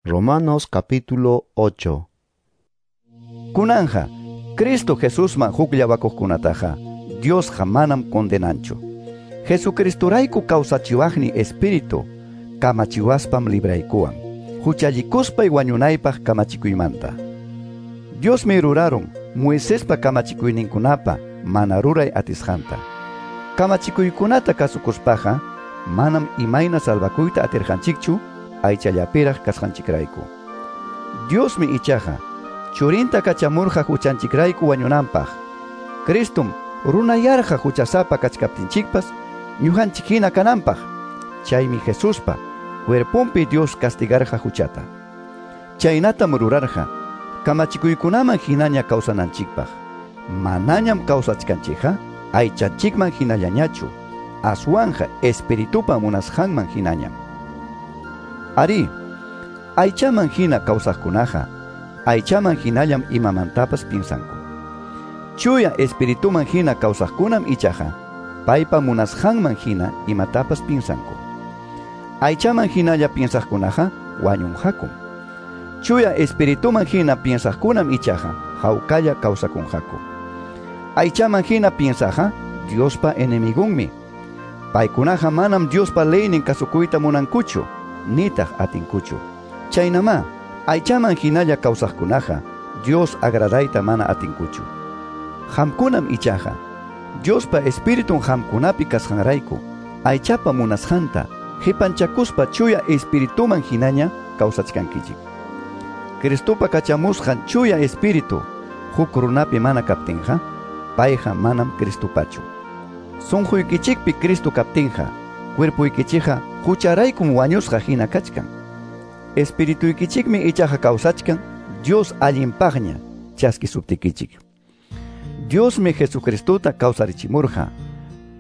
Romanos capítulo 8. Kunanja, Cristo Jesusman hukllawakuqkunataqa Diosqa manam condenanchu. Jesucristorayku kawsachiwaqni Espíritu kamachiwaspam libraykuwan, huchallikuspay wañunaypaq kamachikuymanta. Diosmi rurarun Moisespa kamachikuyninkunapa mana ruray atisqanta. Kamachikuykunata kasukuspaqa manam imayna salvakuyta atirqanchikchu aychallapiraq kasqanchikrayku. Diosmi ichaqa churinta kachamurqa huchanchikrayku wañunanpaq. Cristum runayarqa huchasapa kachkaptinchikpas ñuqanchik hina kananpaq. Chaymi Jesuspa cuerponpi Dios castigarqa huchata. Chaynatam rurarqa kamachikuykunaman hinaña kawsananchikpaq. Manañam kawsachkanchikqa aychanchikman hinallañachu, aswanja espiritupa munasqanman hinañam. Ari, aychaman hina kawsaqkunaqa aychaman hinallam imamantapas piensanku. Chuya espirituman hina kawsaqkunam ichaqa paypa munasqanman hina imatapas piensanku. Aychaman hinalla piensaqkunaqa wañunqakum. Chuya espirituman hina piensaqkunam ichaqa hawkalla kawsakunqaku. Aychaman hina piensaqa Diospa enemigunmi. Paykunaqa manam Diospa leynin kasukuyta munankuchu, nitaq atinkuchu. Chaynamá, aychaman hinalla kawsaqkunaqa Dios agradayta mana atinkuchu. Qamkunam ichaqa Diospa Espiritun qamkunapi kasqanrayku aychapa munasqanta qipanchakuspa chuya espirituman hinaña kawsachkankichik. Cristopa kachamusqan chuya espíritu huk runapi mana kaptinqa, payqa manam Cristopachu. Sunquykichikpi Cristo kaptinqa, cuerpuykichikqa hucharaykum wañusqa hina kachkan. Espirituykichikmi ichaqa kawsachkan Dios allinpaqña chaskisuptikichik. Diosmi Jesucristota kawsarichimurqa.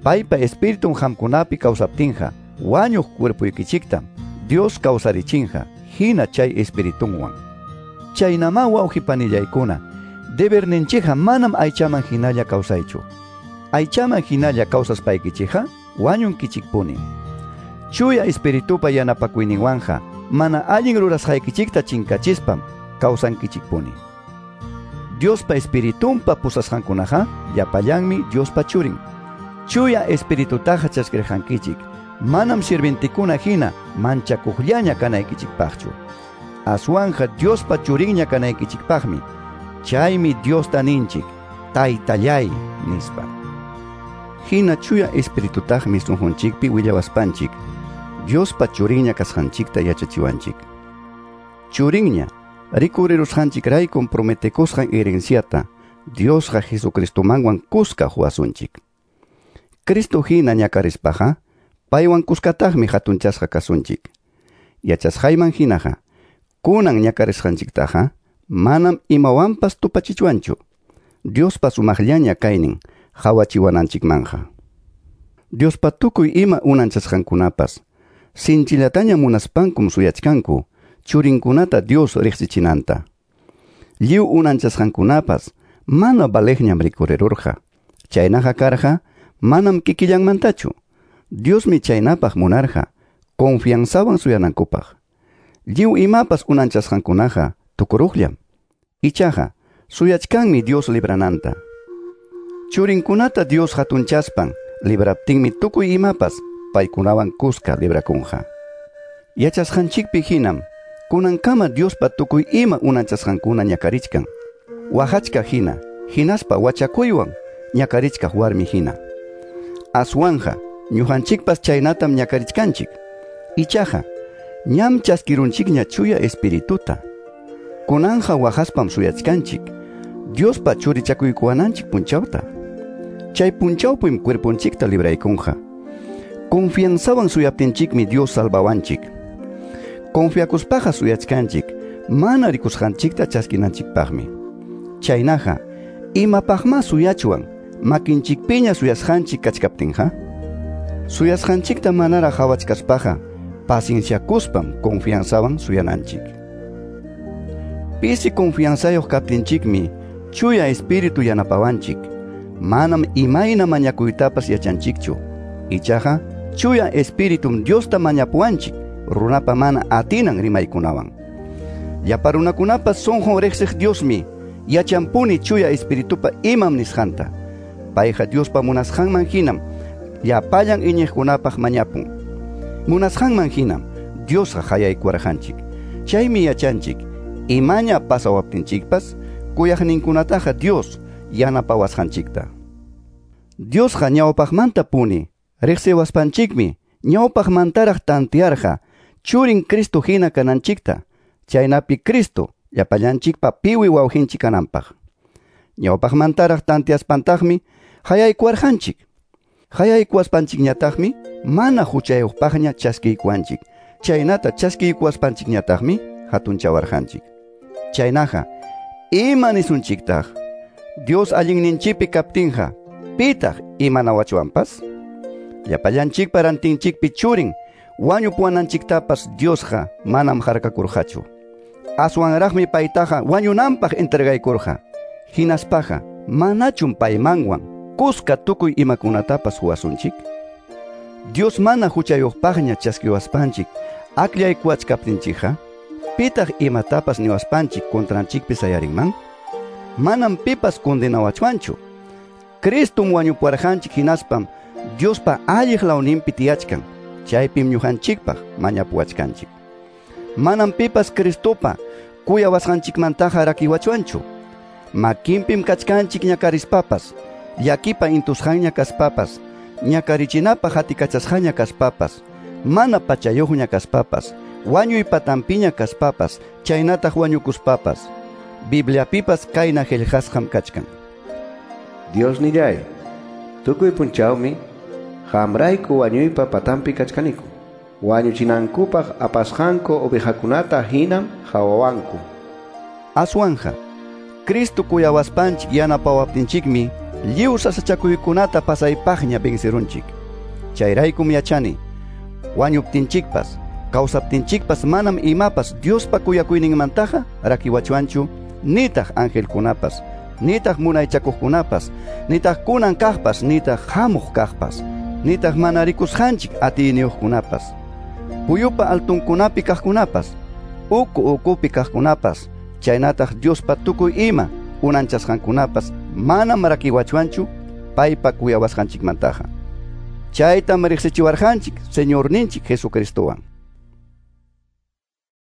Paypa espiritun qamkunapi kawsaptinqa, wañuq cuerpuykichiktam Dios kawsarichinqa hina chay espiritunwan. Chaynamá wawqipanillaykuna, deberninchikqa manam aychaman hinalla kawsaychu. Aychaman hinalla kawsaspaykichikqa wañunkichikpuni. Chuya espiritupa yanapakuyninwanja mana allin rurasqaykichikta chinkachispam kawsankichikpuni. Diospa espiritunpa pusasqankunaqa llapallanmi Diospa churin. Chuya espiritutaqa chaskirqankichik, manam sirventikuna hina manchakuqllaña kanaykichikpaqchu. Aswanja Diospa churinña kanaykichikpaqmi. Chaymi Diosta ninchik, Taytallay nispa. Hina chuya espiritutaqmi sunqunchikpi willawaspanchik, Diospa churinña kasqanchikta yachachiwanchik. Churinña rikurirusqanchikraykum prometekusqan herenciata Diosqa Jesucristomanwan kuska huwasunchik. Cristo hina ñakarispaqa paywan kuskataqmi hatunchasqa kasunchik. Yachasqayman hinaqa kunan ñakarisqanchiktaqa manam imawanpas tupachichwanchu. Diospa sumaqllaña kaynin hawachiwananchikmanja. Diospa tukuy ima unanchasqankunapas sinchillataña munaspankum suyachkanku churinkunata Dios riqsichinanta. Lliw unanchasqankunapas mana valeqñam rikurirurqa. Chaynaqa karqa manam kikillanmantachu. Diosmi chaynapaq munarqa confianzawan suyanankupaq. Lliw imapas unanchasqankunaqa tukuruqllam. Ichaqa suyachkanmi Dios librananta. Churinkunata Dios hatunchaspan libraptinmi tukuy imapas paykunawan kuska librakunqa. Yachasqanchikpi hinam kunankama Diospa tukuy ima unanchasqankuna ñakarichkan. Waqachka hina, hinaspa wachakuywan ñakarichkaq warmi hina. Aswanja ñuqanchikpas chaynatam ñakarichkanchik. Ichaqa ñam chaskirunchikña chuya espirituta. Kunanja waqaspam suyachkanchik Diospa churichakuykuwananchik punchawta. Chay punchawpim cuerponchikta libraykunqa. Confianzawan suyaptinchikmi Dios salvawanchik. Confiakuspaqa suyachkanchik mana rikusqanchikta chaskinanchikpaqmi. Chaynaqa imapaqma suyachwan makinchikpiña suyasqanchik kachkaptinqa? Suyasqanchikta manaraq hawachkaspaqa pacienciakuspam confianzawan suyananchik. Pisi confianzayuq kaptinchikmi chuya espíritu yanapawanchik. Manam imayna mañakuytapas yachanchikchu. Ichaqa chuya espíritum Diosta mañapuwanchik runapa mana atinan rimaykunawan. Llapa runakunapa sunqun riqsiq Diosmi yachanpuni Chuya Espiritupa imam nisqanta. Payqa Diospa munasqanman hinam llapallan iñiqkunapaq mañapun. Munasqanman hinam Diosqa qayaykuwarqanchik. Chaymi yachanchik imaña pasawaptinchikpas kuyaqninkunataqa Dios yanapawasqanchikta. Diosqa ñawpaqmantapuni riqsiwaspanchikmi ñawpaqmantaraq tantearqa churin Cristo hina kananchikta, chaynapi Cristo llapallanchikpa piwi wawqinchik kananpaq. Ñawpaqmantaraq tanteaspantaqmi qayaykuwarqanchik. Qayaykuwaspanchikñataqmi mana huchayuqpaqña chaskiykuwanchik. Chaynata chaskiykuwaspanchikñataqmi hatunchawarqanchik. Chaynaqa, ima nisunchiktaq? Dios allinninchikpi kaptinqa, pitaq imanawachwanpas? Llapallanchikpa rantinchikpi churin wañupuwananchiktapas Diosqa manam harkakurqachu. Aswanraqmi paytaqa wañunanpaq entregaykurqa. Hinaspaqa manachum paymanwan kuska tukuy imakunatapas huwasunchik? Dios mana huchayuqpaqña chaskiwaspanchik akllaykuwachkaptinchikqa, pitaq imatapas niwaspanchik contranchikpi sayarinman? Manam pipas condenawachwanchu. Cristum wañupuwarqanchik hinaspam Diospa alliq lawninpi tiyachkan, chaypim ñuqanchikpaq mañapuwachkanchik. Manam pipas Cristopa kuyawasqanchikmantaqa rakiwachwanchu. Makinpim kachkanchik ñakarispapas, llakipa intusqanña kaspapas, ñakarichinapaq hatikachasqaña kaspapas, mana pachayuqña kaspapas, wañuy patampiña kaspapas, chaynataq wañukuspapas. Bibliapipas kayna qillqasqam kachkan. Dios nillay, tukuy punchawmi qamrayku wañuypa patampi kachkaniku. Wañuchinankupaq apasqanku ovejakunata hinam hawawanku. Aswanja, Cristo kuyawaspanchik yanapawaptinchikmi lliw sasachakuykunata pasaypaqña vencerunchik. Chayraykum yachani, wañuptinchikpas, kawsaptinchikpas manam imapas Diospa kuyakuyninmantaqa rakiwachwanchu, nitaq angelkunapas, nitaq munaychakuqkunapas, nitaq kunan kaqpas, nitaq hamuq kaqpas, nitaq mana rikusqanchik atiyniyuqkunapas, puyupa altunkunapi kaqkunapas, uku ukupi kaqkunapas, chaynataq Diospa tukuy ima unanchasqankunapas manam rakiwachwanchu paypa kuyawasqanchikmantaqa. Chaytam riqsichiwarqanchik Señorninchik Jesucristowan.